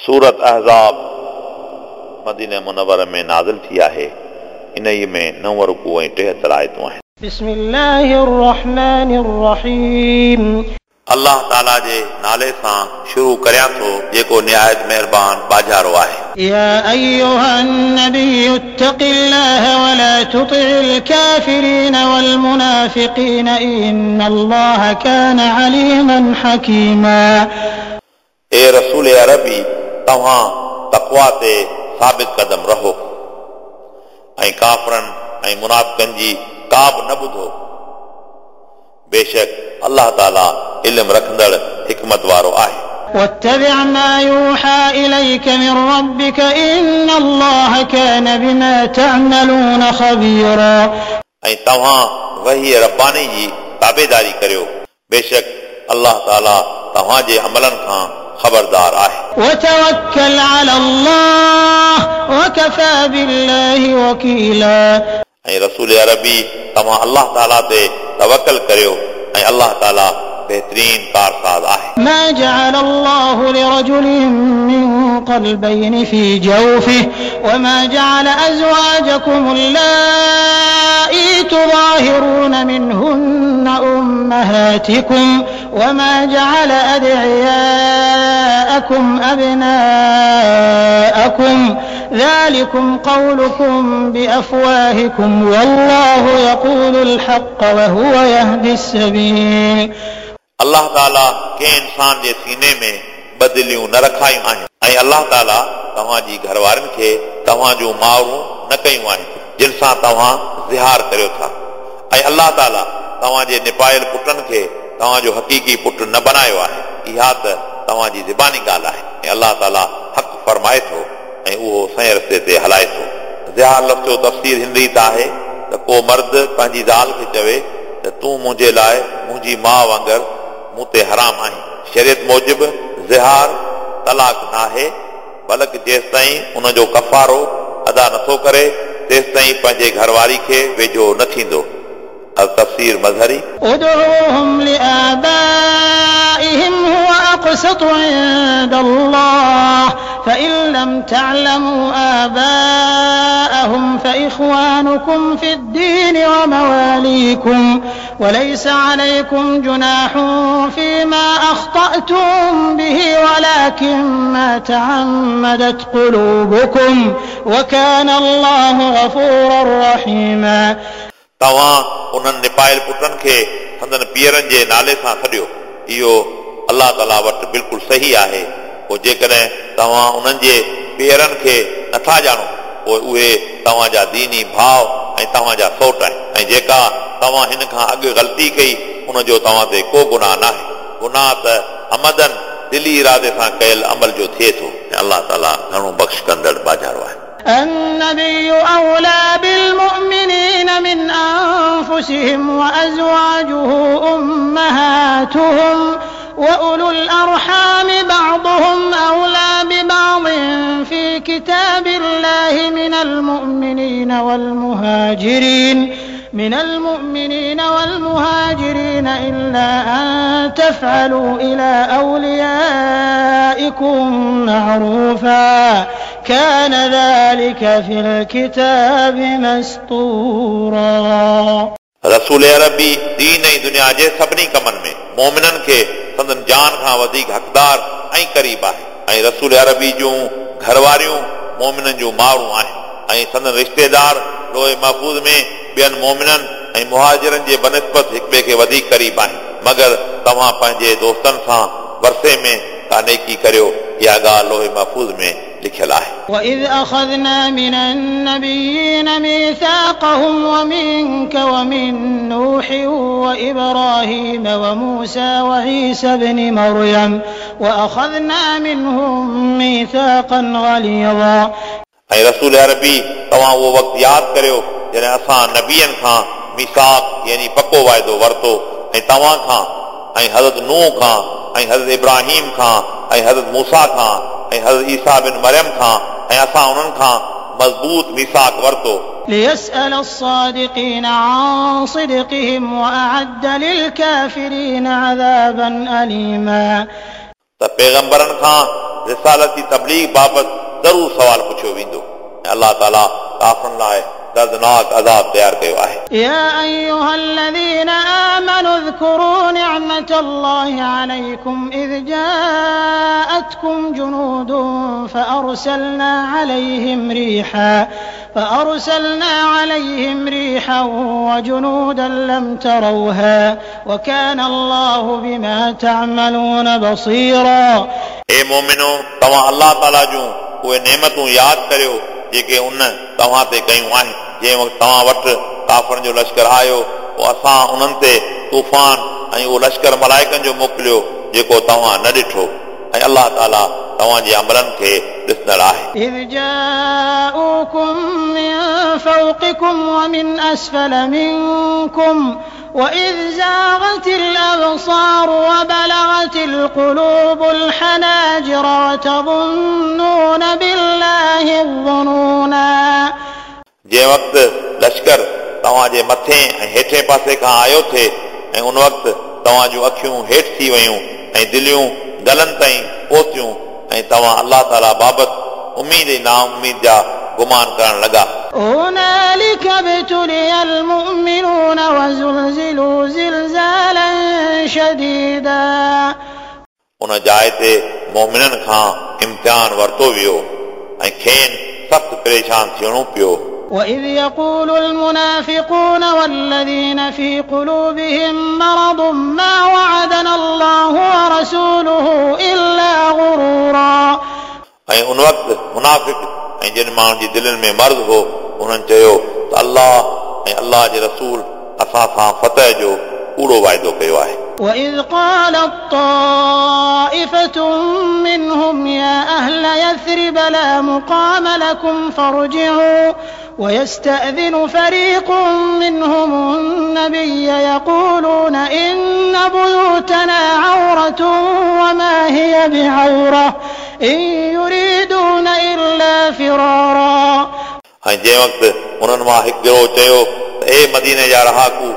सूरत अहज़ाब मदीने मुनव्वर में नाज़िल थी आहे। इन्हीअ में 9 रुकू ऐं 73 आयतूं आहिनि। बिस्मिल्लाहिर्रहमानिर्रहीम। अल्लाह ताला जे नाले सां शुरू करियां थो जेको निहायत महिरबान बाजारो आहे। या अय्युहन नबिय्यु इत्तक़िल्लाह वला तुति'िल काफ़िरीन वल मुनाफ़िक़ीन इन्नल्लाह कान अलीमन हकीमा। ए रसूल अरबी, तव्हां तक़वा ते साबित कदम रहो ऐं काफ़रनि ऐं मुनाफ़िकनि जी का बि न ॿुधो। बेशक अल्लाह ताला इल्म रखंदड़ हिकमत वारो आहे। वत्तबिअ मा यूहा इलैक मिन रब्बिक इन्नल्लाह कान बिमा तअमलून खबीरा। ऐं तव्हां वही रब्बानी जी ताबेदारी करियो, बेशक अल्लाह ताला तव्हां जे अमलनि खां ख़बरदार आहे। वतवक्कल अलल्लाह वकफा बिल्लाहि वकीला। ऐं रसूल अरबी, तव्हां अल्लाह ताला ते तवक्कल करियो ऐं अल्लाह ताला बेहतरीन कारसाज़ आहे। मा जअल अल्लाहु लिरजुलिन मिन क़ल्बैनि फ़ी जौफ़िहि वमा जअल अज़वाजकुम अल्लाई तुज़ाहिरून मिनहुन्न उम्महातिकुम वमा जअल अदइयाअकुम अबनाअकुम ज़ालिकुम क़ौलुकुम बिअफ़वाहिकुम वल्लाहु यक़ूलुल हक़्क़ वहुव यहदिस सबील। अल्लाह ताला कंहिं इंसान जे सीने में बदिलियूं न रखायूं आहिनि ऐं अल्लाह ताला तव्हांजी घरवारनि खे तव्हां जूं माउरूं न कयूं आहिनि जिन सां तव्हां ज़िहार करियो था, ऐं अल्लाह ताला तव्हांजे निपायल पुटनि खे तव्हांजो हक़ीक़ी पुट न बनायो आहे। इहा त तव्हांजी ज़बानी ॻाल्हि आहे ऐं अल्लाह ताला हक़ फरमाए थो ऐं उहो सही रस्ते ते हलाए थो। ज़िहार लफ़्ज़ जो तफ़सीर हिन रीति आहे त को मर्द पंहिंजी ज़ाल खे चवे त तूं मुंहिंजे लाइ मुंहिंजी माउ वांगुरु मूं ते हराम आहीं। शरीयत मूजिबि ज़िहार तलाक नाहे, बल्कि जेसिताईं उनजो कफ़ारो अदा नथो करे तेसिताईं पंहिंजे घरवारी खे वेझो न थींदो। तफ़सीर मज़हरी। उदऊहुम लिआबाइहिम हुव अक़सतु इंदल्लाह फ़इन लम तअलमू आबाअहुम फ़इख़्वानुकुम फ़िद्दीन व मवालीकुम वलैस अलैकुम जुनाहुन फ़ीमा अख़तअतुम बिही वलाकिन मा तअम्मदत क़ुलूबुकुम वकान अल्लाहु गफ़ूरन रहीमा। तव्हां उन्हनि निपायल पुटनि खे संदन पीअरनि जे नाले सां सॾियो, इहो अल्लाह ताला वटि बिल्कुलु सही आहे। पोइ जेकॾहिं तव्हां उन्हनि जे पीअरनि खे नथा ॼाणो पोइ उहे तव्हांजा दीनी भाउ ऐं तव्हांजा सौट आहिनि, ऐं जेका तव्हां हिन खां अॻु ग़लती कई उनजो तव्हां ते को गुनाह नाहे। गुनाह त अमदन दिली इरादे सां कयल अमल जो थिए थो ऐं अल्लाह ताला घणो बख़्श कंदड़ बाजारो आहे। النبي أولى بالمؤمنين من أنفسهم وأزواجه أمهاتهم وأولو الأرحام بعضهم أولى ببعض في كتاب الله من المؤمنين والمهاجرين إلا أن تفعلوا إلى أوليائكم معروفا كان ذلك في الكتاب مسطورا। रसूल अरबी दीन ऐं दुनिया जे सभिनी कमनि में मोमिननि खे संदन जान खां वधीक हक़दार ऐं क़रीब आहे, ऐं रसूल अरबी जूं घरवारियूं मोमिननि जूं माउरूं आहिनि, ऐं संदन रिश्तेदार लोहे महफ़ूज़ में ॿियनि मोमिननि ऐं मुहाजिरनि जे बनस्बत हिक ॿिए खे वधीक क़रीब आहिनि। मगर तव्हां पंहिंजे दोस्तनि सां वरसे में का नेकी करियो, इहा ॻाल्हि लोहे महफ़ूज़ में लिखियल आहे। وإذ أخذنا من النبيين ميثاقهم ومنك ومن نوح وإبراهيم وموسى وعيسى ابن مريم وأخذنا منهم ميثاقا غليظا। ऐं रसूल अरबी तव्हां उहो वक़्तु यादि करियो जॾहिं असां नबियनि खां मीसाक यानी पको वाइदो वरितो, ऐं तव्हां खां ऐं हज़रत नूह खां ऐं हज़रत इब्राहिम खां ऐं हज़रत मूसा खां ऐं हज़रत ईसा बिन मरियम खां, ऐं असां उन्हनि खां मज़बूत मीसाक वरितो। ليسأل الصادقين عن صدقهم وأعد للكافرين عذابا أليما। त पैगंबरनि खां रिसालत जी तबलीग बाबति ज़रूरु सवाल पुछियो वेंदो ऐं अलाह ताला काफ़िरनि लाइ दर्दनाक अज़ाब तयारु कयो आहे। يا أيها الذين آمنوا اذكروا نعمة الله عليكم إذ جاءتكم جنود فأرسلنا عليهم ريحا وجنودا لم تروها وكان الله بما تعملون بصيرا। ए मोमिनो, तव्हां अलाह ताला जूं उहे नेमतूं यादि करियो जेके उन तव्हां ते कयूं आहिनि। जंहिं वक़्तु तव्हां वटि काफ़िरनि जो लश्कर आयो, पोइ असां उन्हनि ते तूफ़ान ऐं उहो लश्कर मलाइकनि जो मोकिलियो जेको तव्हां न ॾिठो, ऐं अलाह ताला तव्हांजे अमलनि खे ॾिसंदड़ आहे। إذ جاءوكم من فوقكم ومن أسفل منكم وإذ زاغت الأبصار وبلغت القلوب الحناجر وتظنون بالله الظنونا। जंहिं वक़्तु लश्कर तव्हांजे मथे ऐं हेठे पासे खां आयो थिए ऐं उन वक़्तु तव्हां जूं अखियूं हेठि थी वयूं ऐं दिलियूं गलनि ताईं पहुतियूं ऐं तव्हां अलाह ताला बाबति उमीद ऐं नाउमीद जा गुमान करण लॻा। هنالك ابتلي المؤمنون وزلزلوا زلزالا شديدا। उन जाइ ते मोमिननि खां इम्तिहान वरितो वियो ऐं खेनि सख़्तु परेशान थियणो पियो। وإذ يقول المنافقون والذين في قلوبهم مرض ما وعدنا الله ورسوله إلا غرورا। ऐं उन वक़्तु मुनाफ़िक ऐं जिन माण्हुनि जी दिलनि में मर्ज़ हो, उन्हनि चयो त अलाह ऐं अलाह जे रसूल असां सां फतह जो कूड़ो वाइदो कयो आहे। وإذ قالت طائفة منهم يا أهل يثرب لا مقام لكم فارجعوا ويستأذن فريق منهم النبي يقولون إن بيوتنا عورة وما هي بعورة إن يريدون إلا فرارا. ऐं जंहिं वक़्तु उन्हनि मां हिकु गिरोह चयो त ए मदीने जा रहाकू,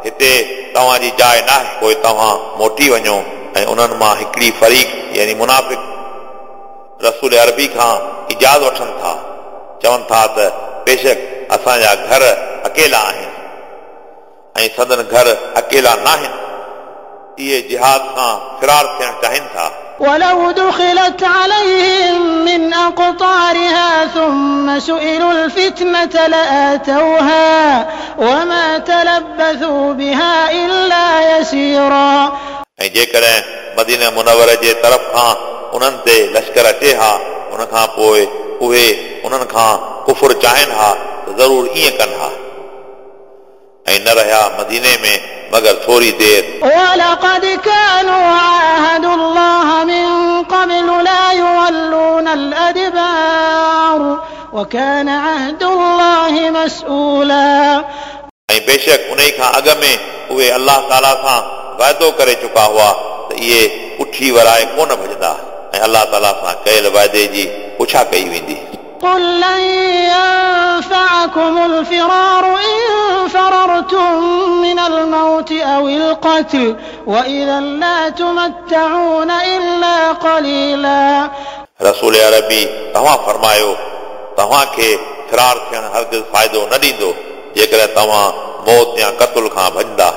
हिते तव्हांजी जाइ न आहे, पोइ तव्हां मोटी वञो। ऐं उन्हनि मां हिकिड़ी फरीक यानी मुनाफ़िक रसूल अरबी खां इजाज़त वठनि था, चवनि था त बेशक असांजा घर अकेला आहिनि ऐं संदन घर अकेला न आहिनि, इहे जिहाद खां फिरार थियणु चाहिनि था। ولو دخلت عليهم من أقطارها ثم سئلوا الفتنة لآتوها وما تلبثوا بها إلا يسيرا. ऐं जेकॾहिं मदीना मुनवर जे तरफ़ खां उन्हनि ते लश्कर अचे हा, उन खां पोइ उहे उन्हनि खां कुफुर चाहिनि हा त ज़रूरु ईअं कनि हा, ऐं न रहिया मदीने में मगर थोरी देरि। ولقد كانوا عاهدوا الله من قبل لا يولون الأدبار وكان عهد الله مسؤولا. ऐं बेशक उन खां अॻु में उहे अलाह ताला सां वाइदो करे चुका हुआ त इहे पुठी वराए कोन भॼंदा, ऐं अलाह ताला सां कयल वाइदे जी पुछा कई वेंदी। قل لن ينفعكم الفرار إن فررتم من الموت أو القتل وإذا لا تمتعون إلا قليلا. रसूल अरबी तव्हां फरमायो, तव्हांखे फिरार थियणु हरगिज़ फ़ाइदो न ॾींदो जेकॾहिं तव्हां मौत या क़तल खां भॼंदा,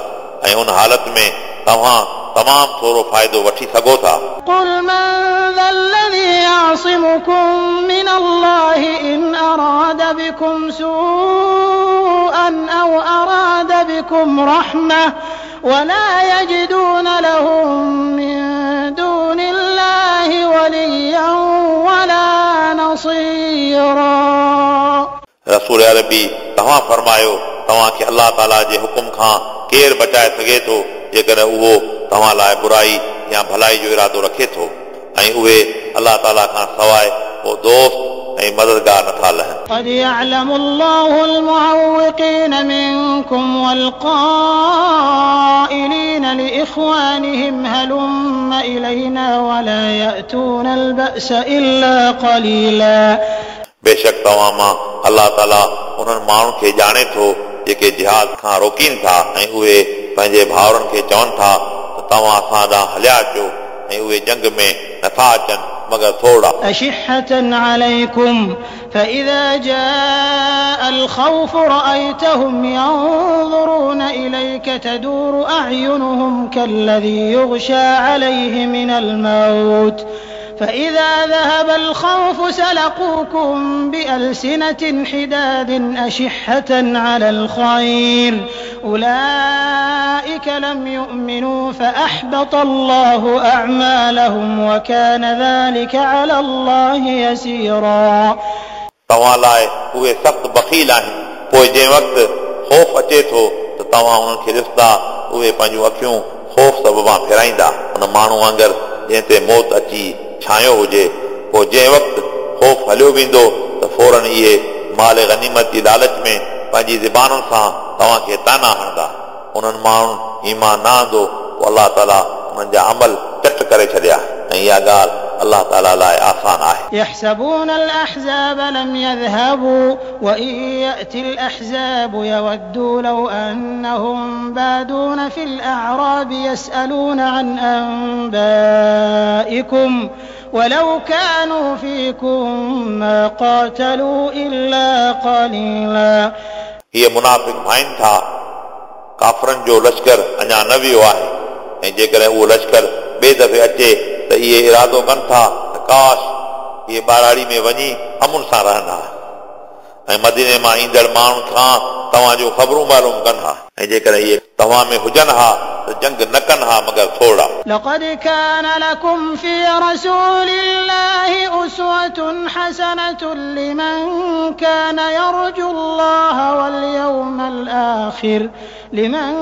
ऐं उन हालत में तव्हां तमामु थोरो फ़ाइदो वठी सघो था। قل من ذا الذي يعصمكم من الله إن أراد بكم سوءا أو أراد بكم رحمة ولا يجدون لهم من دون الله وليا ولا نصيرا. रसूल अरबी तव्हां फरमायो, तव्हांखे अलाह ताला जे हुकुम खां केरु बचाए सघे थो जेकॾहिं उहो तव्हां लाइ बुराई या भलाई जो इरादो रखे थो, ऐं उहे अलाह ताला खां सवाइ को दोस्त ऐं मददगार नथा लहनि। قد يعلم الله المعوقين منكم والقائلين لإخوانهم هلم إلينا ولا يأتون البأس إلا قليلا. बेशक तव्हां मां अलाह ताला उन्हनि माण्हुनि खे ॼाणे थो जेके जिहाद खां रोकीनि था, ऐं उहे पंहिंजे भाउरनि खे चवनि था त तव्हां असां ॾांहुं हलिया अचो, ऐं उहे जंग में नथा अचनि मगर थोरा। أشحة عليكم فإذا جاء الخوف رأيتهم ينظرون إليك تدور أعينهم كالذي يغشى عليه من الموت فإذا ذهب الخوف سلقوكم بألسنة حداد أشحة على الخير أولئك لم يؤمنوا فأحبط الله أعمالهم وكان ذلك على الله يسيرا। तव्हां लाइ उहे सख़्तु बख़ील आहिनि, पोइ जंहिं वक़्तु ख़ौफ़ अचे थो त तव्हां उन्हनि खे ॾिसंदा उहे पंहिंजूं अखियूं ख़ौफ़ सबबां फेराईंदा, उन माण्हू वांगुरु जंहिं ते मौत अची छायो हुजे। पोइ जंहिं वक़्तु ख़ौफ़ हलियो वेंदो त फ़ौरन इहे माल ग़नीमत जी लालच में पंहिंजी ज़बानुनि सां तव्हांखे ताना हणंदा। उन्हनि माण्हुनि ईमान न आंदो, पोइ अलाह ताला उन्हनि जा अमल चट करे छॾिया ऐं इहा ॻाल्हि अलाह ताला लाइ आसान आहे। يحسبون الأحزاب لم يذهبوا وإن يأتي الأحزاب يودوا لو أنهم بادون في الأعراب يسألون عن أنبائكم ولو كانوا فيكم ما قاتلوا إلا قليلا। इहे मुनाफ़िक भाइनि था, काफ़रनि जो लश्कर अञा न वियो आहे ऐं जेकॾहिं उहो लश्कर ॿिए दफ़े अचे त इहे इरादो कनि था त काश इहे ॿाराड़ी में वञी अमुन सां रहनि हा ऐं मदीने मां ईंदड़ माण्हुनि खां तव्हांजूं ख़बरूं मालूम कनि हा ऐं जेकॾहिं इहे तव्हां में हुजनि हा त जंग न कनि हा मगर थोरा। لقد كان لكم في رسول الله أسوة حسنة لمن كان يرجو الله واليوم الآخر لمن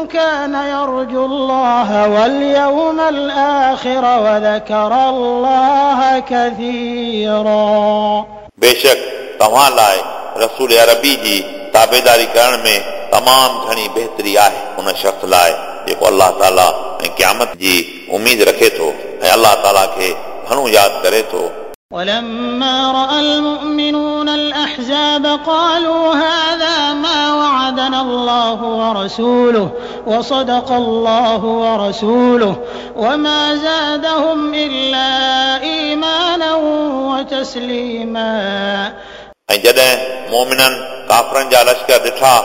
كان يرجو الله واليوم الآخر وذكر الله كثيرا। बेशक तव्हां लाइ रसूल अरबी जी ताबेदारी करण में तमामु घणी बहितरी आहे उन शख़्स लाइ जेको अलाह ताला ऐं क़यामत जी उमेद रखे थो ऐं अलाह ताला खे घणो यादि करे थो। ولما رأى المؤمنون الأحزاب قالوا هذا ما وعدنا الله ورسوله وصدق الله ورسوله وما زادهم إلا إيمانا وتسليما। ऐं जॾहिं मोमिननि काफ़रनि जा लश्कर ॾिठा,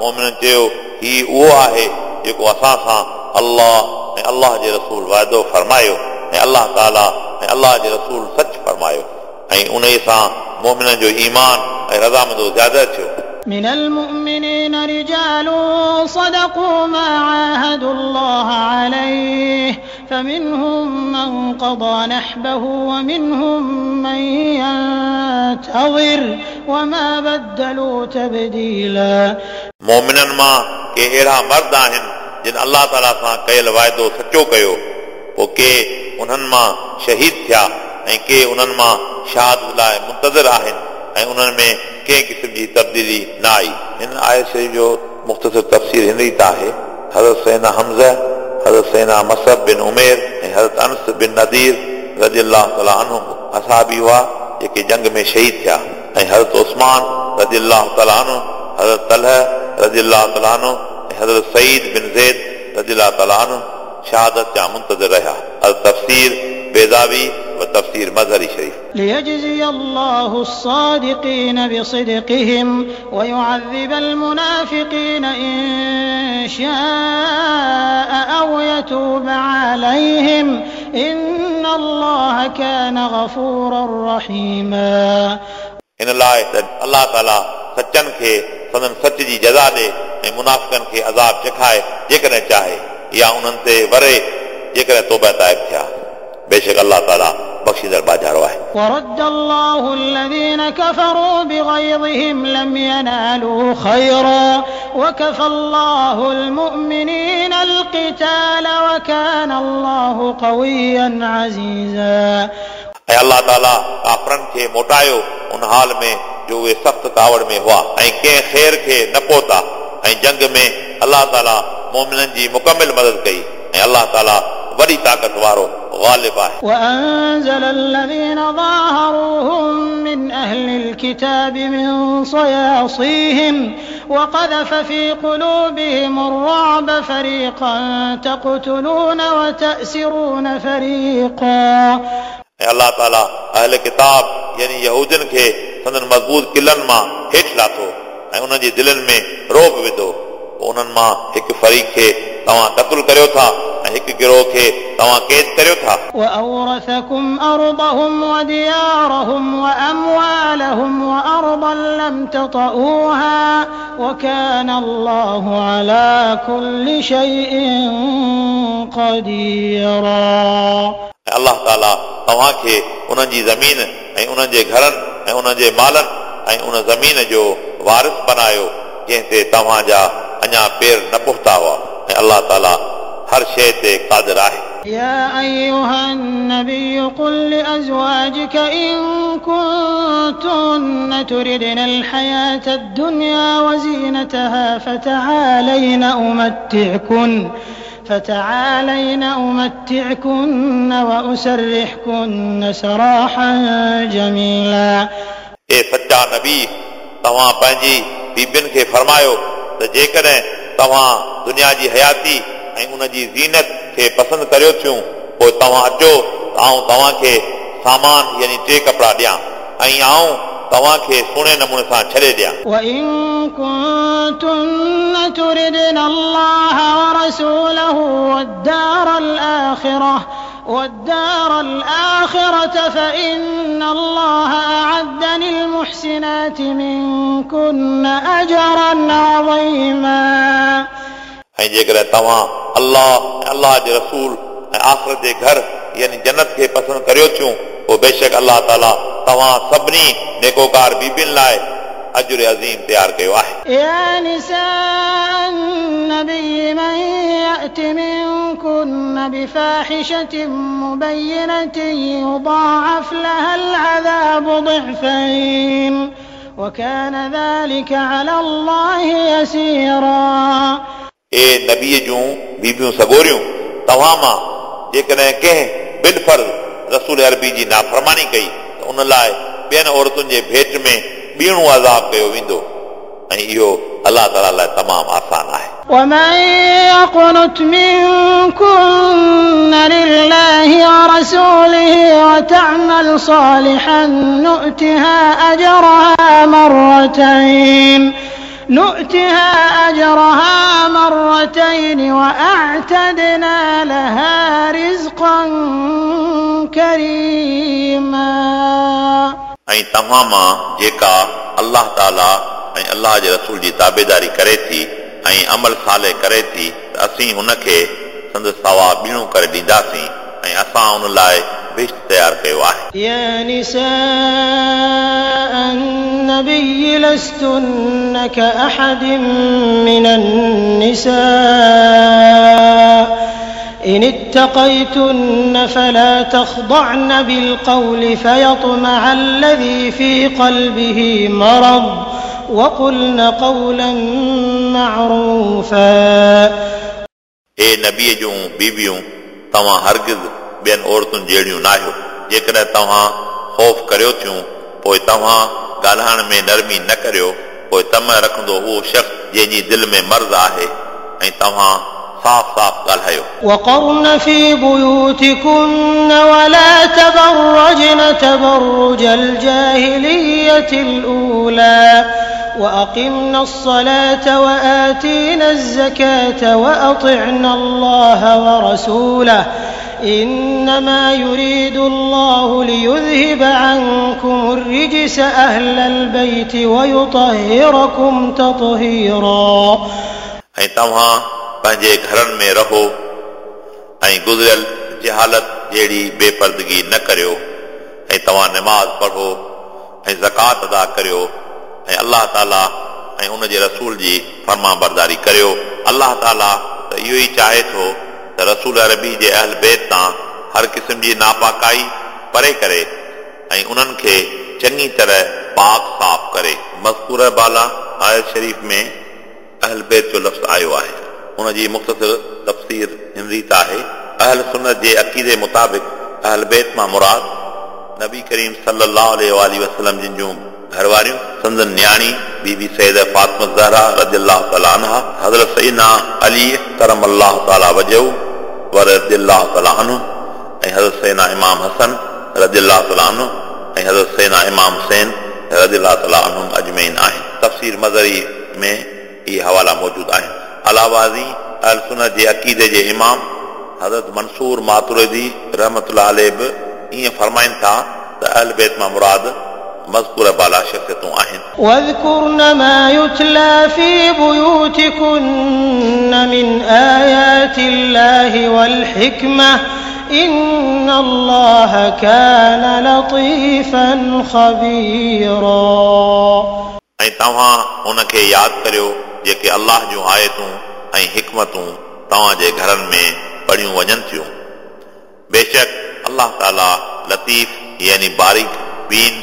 मोमिननि चयो हीउ उहो आहे जेको असां सां अलाह ऐं अलाह जे रसूल वाइदो फरमायो ऐं अलाह ताला ऐं अलाह जे रसूल सच फरमायो ऐं उन सां मोमिननि जो ईमान ऐं रज़ामंदो ज़्यादा थियो। من المؤمنين رجال صدقوا ما عاهدوا الله عليه فمنهم من قضى نحبه ومنهم من ينتظر وما بدلوا تبديلا। मोमिननि मां के अहिड़ा मर्द आहिनि जिन अलाह ताला सां कयल वाइदो सचो कयो, पोइ के उन्हनि मां शहीद थिया ऐं के उन्हनि मां शहादत लाइ मुंतज़िर आहिनि ऐं उन्हनि में कंहिं क़िस्म जी तब्दीली न आई। हिन आयत शरीफ़ जो मुख़्तसर तफ़सीर हिन रीति आहे। हज़रत सैना हमज़ा, हज़रत सैना मसब बिन उमेर ऐं हज़रत अनस बिन नदीर रज़ी अलाह ताला अन्हु असाबी हुआ जेके जंग में शहीद थिया ऐं हज़रत उस्मान रज़ी अलाह ताला अन्हु, हज़रत तलह रज़ी अलाह ताला अन्हु ऐं हज़रत सईद बिन ज़ैद रज़ी अलाह ताला अन्हु शहादत जा मुंतज़िर रहिया। अल तफ़सीर बेदावी व तफ़सीर मज़हरी शरीफ़। ليجزي الله الصادقين بصدقهم ويعذب المنافقين إن شاء أو يتوب عليهم إن الله كان غفورا رحيما। इन लाइ त अलाह ताला सचनि खे संदन सच जी जज़ा ॾे ऐं मुनाफ़िकनि खे अज़ाब चखाए जेकॾहिं चाहे या उन्हनि ते वरे जेकॾहिं तौबा ताइब थिया। बेशक अलाह ताला बख़्शींदड़ बाजारो आहे। ورد الله الذين كفروا بغيظهم لم ينالوا خيرا وكفى الله المؤمنين القتال وكان الله قويا عزيزا। ऐं अलाह ताला काफ़रनि खे मोटायो उन हाल में जो उहे सख़्तु कावड़ में हुआ ऐं कंहिं ख़ैर खे न पहुता ऐं जंग में अलाह ताला मोमिननि जी मुकमिल मदद कई ऐं अलाह ताला वॾी ताक़त वारो ग़ालिब आहे। وأنزل الذين ظاهروهم من أهل الكتاب من صياصيهم وقذف في قلوبهم الرعب فريقا تقتلون وتأسرون فريقا. ऐं ऐं अलाह ताला अहल किताब यानी यहूदियुनि खे संदन मज़बूत किलनि मां हेठि लाथो ऐं उन्हनि जी दिलनि में रोब विधो। पोइ उन्हनि मां हिकु फ़रीक़ खे तव्हां क़तलु करियो था ऐं हिकु गिरोह खे तव्हां क़ैद करियो था। وأورثكم أرضهم وديارهم وأموالهم وأرضا لم تطئوها وكان الله على كل شيء قديرا। ऐं अलाह ताला तव्हांखे उन्हनि जी ज़मीन ऐं उन्हनि जे घरनि ऐं उन्हनि जे मालनि ऐं उन ज़मीन जो वारिस बनायो जंहिं ते तव्हांजा अञा पेर न पहुता हुआ ऐं अलाह ताला हर शइ ते क़ादिर आहे। يا أيها النبي قل لأزواجك إن كنتن تردن الحياة الدنيا وزينتها فتعالين أمتعكن وأسرحكن سراحا جميلا। ए सच्चा नबी, तव्हां पंहिंजी बीबियुनि खे फरमायो त जेकॾहिं तव्हां दुनिया जी हयाती ऐं उन जी ज़ीनत खे पसंदि करियो थियूं, पोइ तव्हां अचो त आउं तव्हांखे सामान यानी टे कपिड़ा ॾियां ऐं आउं तव्हांखे सुहिणे नमूने सां छॾे ॾियां। وإن كنتن تردن الله ورسوله والدار الآخرة فإن الله أعد للمحسنات منكن أجرا عظيما। ऐं जेकॾहिं तव्हां अलाह ऐं अलाह जे रसूल ऐं आख़िरत जे घर यानी जन्नत खे पसंदि करियो थियूं, पोइ बेशक अलाह ताला तव्हां सभिनी नेकोकार बीबियुनि लाइ अजुर अज़ीम तयारु कयो आहे। يا نساء النبي من يأت منكن بفاحشة مبينة يضاعف لها العذاب ضعفين وكان ذلك على الله يسيرا। ए नबीअ जूं बीबियूं सगोरियूं, तव्हां मां जेकॾहिं कंहिं बिलफर्ज़ रसूल अरबी जी नाफ़रमानी कई त उन लाइ ॿियनि औरतुनि जे भेट में ॿीणो अज़ाब कयो वेंदो ऐं इहो अलाह ताला लाइ तमामु आसान आहे। ومن يقنت منكن لله ورسوله وتعمل صالحا نؤتها أجرها مرتين وأعتدنا لها رزقا كريما। ऐं तव्हां मां जेका अलाह ताला ऐं अलाह जे रसूल जी ताबेदारी करे थी ऐं अमल साले करे थी त असीं हुनखे संदसि सवाब ॿीणो करे ॾींदासीं ऐं असां उन लाइ बहिश्त तयारु कयो आहे। يا نساء النبي لستن كأحد من النساء إن اتقيتن فلا تخضعن بالقول فيطمع الذي في قلبه مرض وقلن قولا معروفا. ए नबीअ जूं बीबियूं, तव्हां हरगिज़ ॿियनि औरतुनि जहिड़ियूं न आहियो। जेकॾहिं तव्हां ख़ौफ़ करियो थियूं, पोइ तव्हां ॻाल्हाइण में नरमी न करियो, पोइ तम रखंदो उहो शख़्स जंहिंजी दिलि में मर्ज़ आहे ऐं तव्हां साफ़ साफ़ ॻाल्हायो। وقرن في بيوتكن ولا تبرجن تبرج الجاهلية الأولى وأقمن الصلاة وآتين الزكاة وأطعن الله ورسوله إنما يريد الله ليذهب عنكم الرجس أهل البيت ويطهركم تطهيرا. ऐं तव्हां पंहिंजे घरनि में रहो ऐं गुज़िरियल जहालत जहिड़ी बेपर्दगी न करियो ऐं तव्हां नमाज़ पढ़ो ऐं ज़कात अदा करियो ऐं अलाह ताला ऐं उन जे रसूल जी फर्मा बरदारी करियो। अलाह ताला त इहो ई चाहे थो त रसूल अरबी जे अहल बैत तां हर क़िस्म जी नापाकाई परे करे ऐं उन्हनि खे चङी तरह पाक साफ़ करे। मज़कूर बाला आयत शरीफ़ में अहल बैत जो लफ़्ज़ आयो आहे। उन जी मुख़्तसर तफ़सीर हिन रीत आहे। अहल सुन्नत जे अक़ीदे मुताबिक़ अहल बैत मां मुराद नबी करीम सल्लल्लाहु अलैहि वसल्लम जिन जूं घरवारियूं, संदन नियाणी बीबी सैयद फ़ातिमा ज़हरा रज़ियल्लाहु तआला अन्हा, हज़रत सैयदना अली करम अल्लाह तआला वजहू व रज़ियल्लाहु तआला अन्हु ऐं हज़रत सैयदना इमाम हसन رضي الله تعاليٰ عنه ۽ حضرت سيدنا امام حسين رضي الله تعاليٰ عنهم اجمعين آهن. تفسير مظهري ۾ اهي حوالا موجود آهن. علاوه ازين اهل سنت جي عقيدي جي امام حضرت منصور ماتريدي رحمة الله عليه به ائين فرمائن ٿا ته اهل بيت مان مراد مذڪوره بالا شخصيتون آهن. واذڪرن ما يتليٰ في بيوتڪن من آيات الله والحڪمة ان الله ڪان لطيفا خبيرا. ۽ توهان ان کي ياد ڪريو جيڪي الله جون آيتون ۽ حڪمتون توهان جي گهرن ۾ پڙهيون وڃن ٿيون. بيشڪ الله تعاليٰ لطيف يعني باريڪ بين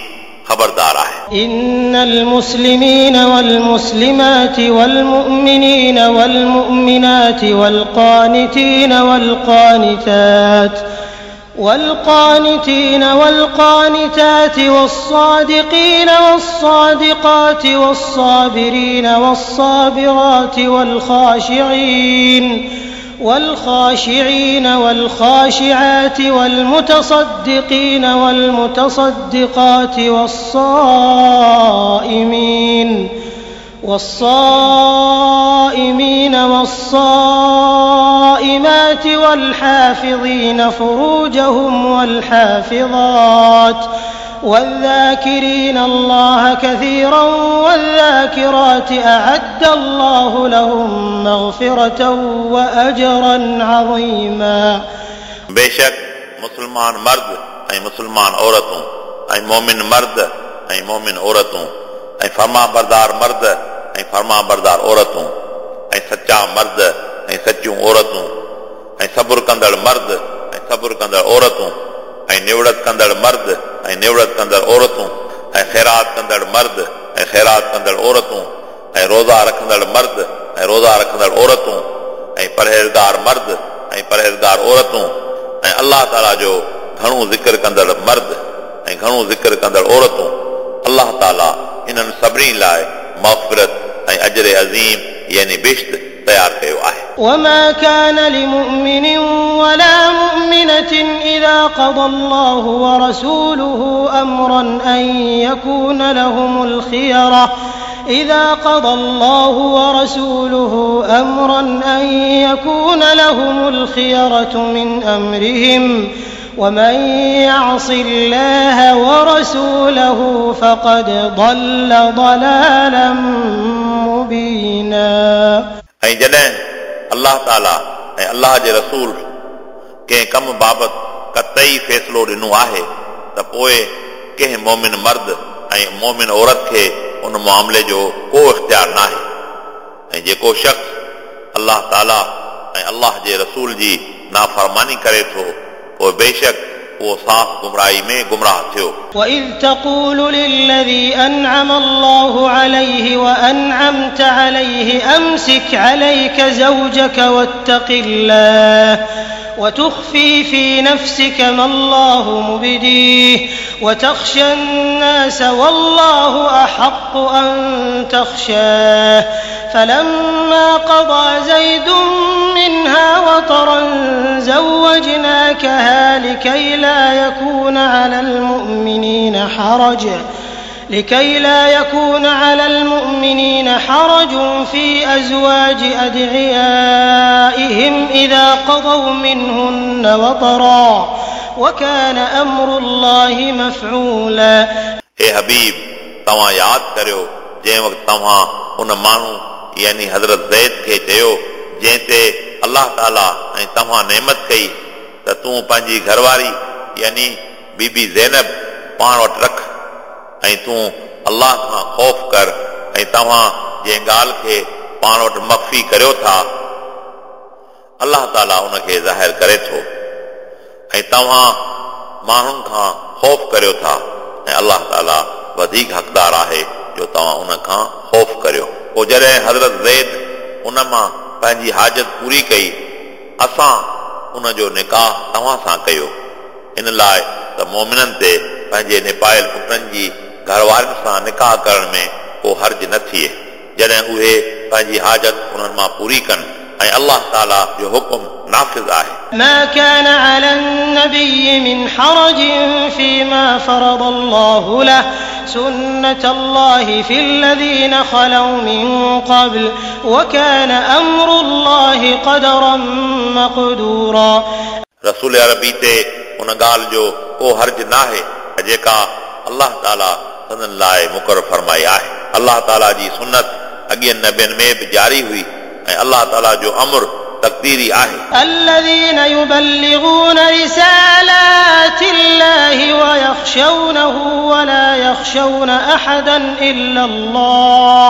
خبردار آهي. ان المسلمين والمسلمات والمؤمنين والمؤمنات والقانتين والقانتات والقانتين والقانتات والصادقين والصادقات والصابرين والصابرات والخاشعين والخاشعين والخاشعات والمتصدقين والمتصدقات والصائمين والصائمين والصائمات والحافظين فروجهم والحافظات والذاڪرين الله ڪثيرا والذاڪرات اعد الله لهم مغفرة واجرا عظيما. بيشڪ مسلمان مرد ۽ مسلمان عورتون ۽ مؤمن مرد ۽ مؤمن عورتون ۽ فرمانبردار مرد ۽ فرمانبردار عورتون ۽ سچا مرد ۽ سچيون عورتون ۽ صبر ڪندڙ مرد ۽ صبر ڪندڙ عورتون ۽ نوڙت ڪندڙ مرد ۽ نوڙت ڪندڙ عورتون ۽ خيرات ڪندڙ مرد ۽ خيرات ڪندڙ عورتون ۽ روزا رکندڙ مرد ۽ روزا رکندڙ عورتون ۽ پرهيزگار مرد ۽ پرهيزگار عورتون ۽ الله تعالي جو گهڻو ذڪر ڪندڙ مرد ۽ گهڻو ذڪر ڪندڙ عورتون الله تعالي انهن سڀني لاء مغفرت ۽ اجر عظيم يعني بهشت تيار ڪيو آهي. وما ڪان لمؤمن ولا مؤمنة اذا قضي الله ورسوله امرا ان يڪون لهم الخيرة اذا قضي الله ورسوله امرا ان يڪون لهم الخيرة من امرهم ومن يعص الله ورسوله فقد ضل ضلالا مبينا. ۽ جڏهن الله تعالي ۽ الله جي رسول ڪنهن ڪم بابت قطعي فيصلو ڏنو آهي ته پوء ڪنهن مؤمن مرد ۽ مؤمن عورت کي ان معاملي جو ڪو اختيار ناهي ۽ جيڪو شخص الله تعالي ۽ الله جي رسول جي نافرماني ڪري ٿو پوء بيشڪ اهو صاف گمراهي ۾ گمراهه ٿيو. واذ تقول للذي انعم الله عليه وانعمت عليه امسک عليک زوجک واتق الله وتخفي في نفسک ما الله مبديه وتخشي الناس والله احق ان تخشاه فلما قضي زيد منها وطرا زوجناکها لکي لا يڪون علي المؤمنين حرج لکي لا يڪون علي المؤمنين حرج في ازواج ادعيائهم اذا قضوا منهن وطرا وڪان امر الله مفعولا. اي حبيب! توهان ياد ڪريو جنهن وقت توهان ان ماڻهو، يعني حضرت زيد، کي چيو جنهن تي الله تعاليٰ ۽ توهان نعمت ڪئي ته تون پنهنجي گهرواري، يعني بي بي زينب، پاڻ وٽ رک ۽ تون الله کان خوف ڪر ۽ توهان جنهن ڳالهه کي پاڻ وٽ مخفي ڪريو ٿا، الله تعاليٰ ان کي ظاهر ڪري ٿو ۽ توهان ماڻهن کان خوف ڪريو ٿا ۽ الله تعاليٰ وڌيڪ حقدار آهي جو توهان ان کان خوف ڪريو. پوء جڏهن حضرت زيد ان مان پنهنجي حاجت پوري ڪئي، اسان ان جو نڪاح توهان سان ڪيو، ان لاء ته مؤمنن تي پنهنجي نپايل پٽن جي گهروارين سان نڪاح ڪرڻ ۾ ڪو حرج نه ٿئي. جڏهن اهي پنهنجي حاجت انهن مان پوري ڪن ऐं अलाह ताला जो हुकुम नाफ़िज़ आहे। ما كان على النبي من حرج فيما فرض الله له سنة الله في الذين خلوا من قبل وكان أمر الله قدرا مقدورا। रसूल अरबी ते उन ॻाल्हि जो को हर्ज नाहे जेका अलाह ताला संदन लाइ मुक़ररु फरमाई आहे। अलाह ताला जी सुन्नत अॻियनि नबियनि में बि जारी हुई ऐं अलाह ताला जो अमर तक़दीरी आहे। الذين يبلغون رسالات الله ويخشونه ولا يخشون أحدا إلا الله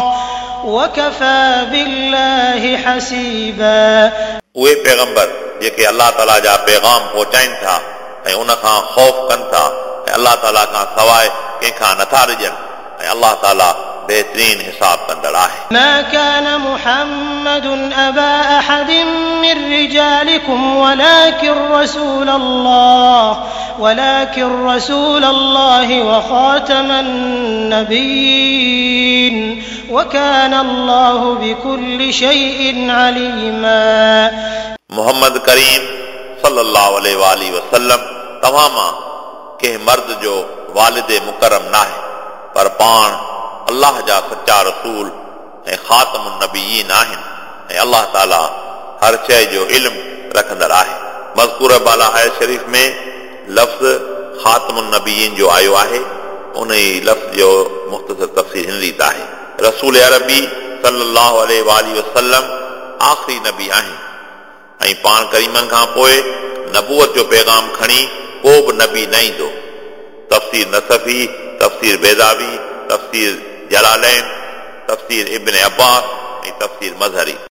وكفى بالله حسيبا। उहे पैगंबर जेके अलाह ताला जा पैगाम पहुचाइनि था ऐं उन खां ख़ौफ़ कनि था ऐं अलाह ताला खां सवाइ कंहिंखां नथा डिॼनि ऐं अलाह ताला बेहतरीन हिसाब कंदड़ आहे। ما كان محمد أبا أحد من رجالكم ولكن رسول الله وخاتم النبيين وكان الله بكل شيء عليما। मोहम्मद करीम सल्लल्लाहु अलैहि वसल्लम तव्हां मां कंहिं मर्द जो वालिद मुकरम नाहे, पर पाण अलाह जा सच्चा रसूल ऐं ख़ातमुन नबीयीन आहिनि ऐं अलाह ताला हर शइ जो इल्मु रखंदड़ आहे। मज़कूर बाला आयत शरीफ़ में लफ़्ज़ ख़ातमुन नबीयीन जो आयो आहे, उन ई लफ़्ज़ जो मुख़्तसर तफ़सील हिन रीति आहे। रसूल अरबी सल्लल्लाहु अलैहि वसल्लम आख़िरी नबी आहिनि ऐं पाण करीमनि खां पोइ नबूअत जो पैगाम खणी को बि नबी न ईंदो। तफ़सीर नसफ़ी, तफ़सीर बैज़ावी, तफ़सीर जलालैन, तफ़सीर इब्न अब्बास ऐं तफ़सीर मज़हरी।